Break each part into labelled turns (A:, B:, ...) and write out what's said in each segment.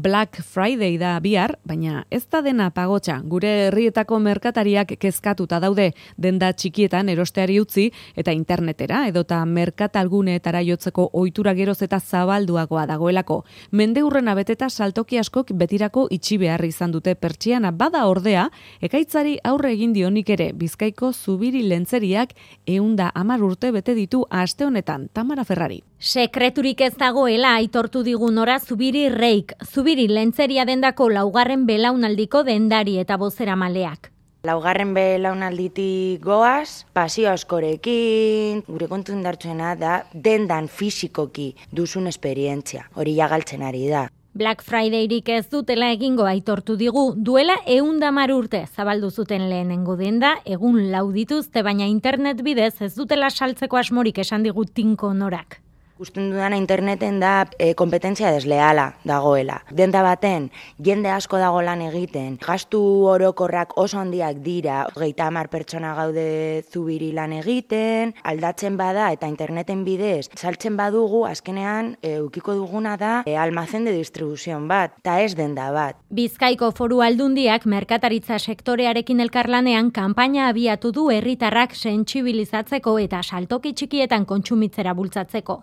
A: Black Friday da bihar, baina ez da dena pagotxa. Gure herrietako merkatariak kezkatuta daude, denda txikietan erosteari utzi eta internetera edota merkatalguneetara jotzeko ohitura geroz eta zabalduagoa dagoelako. Mendeurrena beteta saltoki askok betirako itxi behar izan dute pertsiana, bada ordea, ekaitzari aurre egin dionik ere Bizkaiko Zubiri lentzeriak 110 urte bete ditu aste honetan. Tamara Ferrari.
B: Sekreturik ez dagoela aitortu digun ora Zubiri Reik, Zubiri lentzeria dendako 4. belaunaldiko dendari eta bozeramaleak.
C: 4. belaunalditik goaz, pasio askorekin, gure kontu indartsuena da dendan fisikoki duzun esperientzia, hori jagaltzen ari da.
B: Black Fridayrik ez dutela egingo aitortu digu, duela 110 urte zabaldu zuten lehenengo denda, egun 4 dituzte, baina internet bidez ez dutela saltzeko asmorik esan digu Tinko Norak.
C: Gusten dudana interneten da kompetentzia desleala dagoela. Denda baten, jende asko dago lan egiten, gastu orokorrak oso handiak dira, 30 pertsona gaude Zubiri lan egiten, aldatzen bada eta interneten bidez, saltzen badugu, azkenean ukiko duguna da almazen de distribuzion bat, eta ez denda bat.
B: Bizkaiko Foru Aldundiak merkataritza sektorearekin elkarlanean kanpaina abiatu du herritarrak sentsibilizatzeko eta saltoki txikietan kontsumitzera bultzatzeko.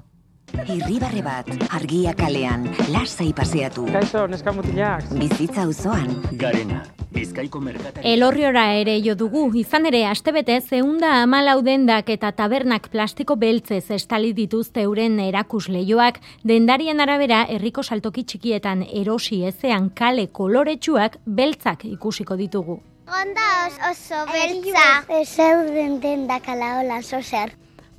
D: Irribarre bat, argia kalean, lasai paseatu.
E: Kaixo, neskamutilak.
D: Bizitza auzoan.
F: Garena, Bizkaiko merkatari.
B: Elorriora ere jo dugu, izan ere astebetez 114 dendak eta tabernak plastiko beltzez estali dituzte euren erakusleioak, dendarien arabera herriko saltoki txikietan erosi ezean kale koloretsuak beltzak ikusiko ditugu.
G: Onda oso beltza. Zeuden dendak ala hola zozer.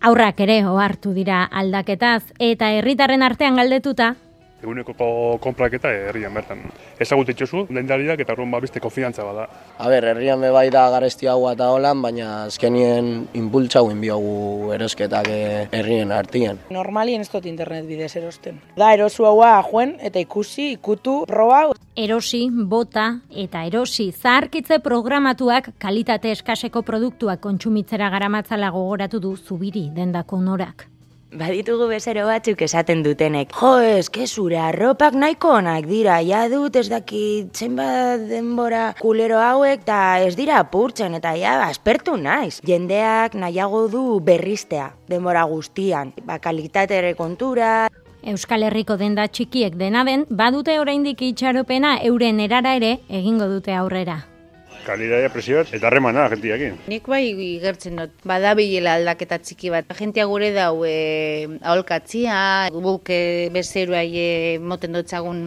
B: Aurrak ere ohartu dira aldaketaz eta herritarren artean galdetuta.
H: Eguneko konpraketa herrian bertan. Ezagut itxosu, dendariak eta horren beste konfidantza bada.
I: Herrian bai da garesti hau eta holan, baina azkenien inpultza hauen biogu erosketak herrien artien.
J: Normalien ez dut internet bidez erosten. Da erosu haua joen eta ikusi, ikutu, proba.
B: Erosi, bota eta erosi zaharkitze programatuak kalitate eskaseko produktuak kontsumitzera garamatzala gogoratu du Zubiri dendako Norak.
C: Baditugu bezero batzuk esaten dutenek. Jo, zure arropak nahiko onak dira, ja dut ez dakit zenbat denbora kulero hauek, eta ez dira apurtzen, eta ja aspertu naiz. Jendeak nahiago du berriztea, denbora guztian, kalitatere kontura.
B: Euskal Herriko denda txikiek dena den, badute oraindik itxaropena euren erara ere egingo dute aurrera.
H: Kalitatea presioat eta harremana gentiakin.
K: Nik bai igertzen dut, badabilela aldaketa txiki bat. Gentia gure dau aholkatzia, guk bezeruai moten dutzagun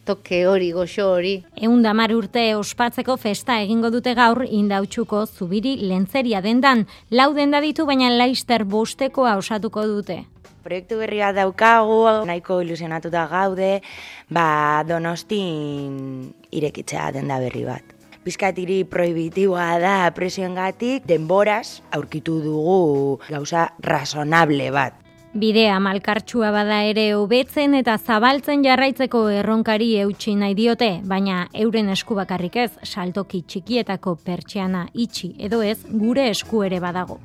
K: toke hori, goxo hori.
B: 110 urte ospatzeko festa egingo dute gaur Indautxuko Zubiri lentzeria dendan. 4 denda ditu, baina Laister 5 osatuko dute.
C: Proiektu berri bat daukagu, nahiko ilusionatuta gaude, Donostin irekitzea denda berri bat. Bizkatiri prohibitiboa da presioengatik, denboraz aurkitu dugu gauza razonable bat.
B: Bidea malkartsua bada ere hobetzen eta zabaltzen jarraitzeko erronkari eutsi nahi diote, baina euren esku bakarrik ez, saltoki txikietako pertsiana itxi edo ez gure esku ere badago.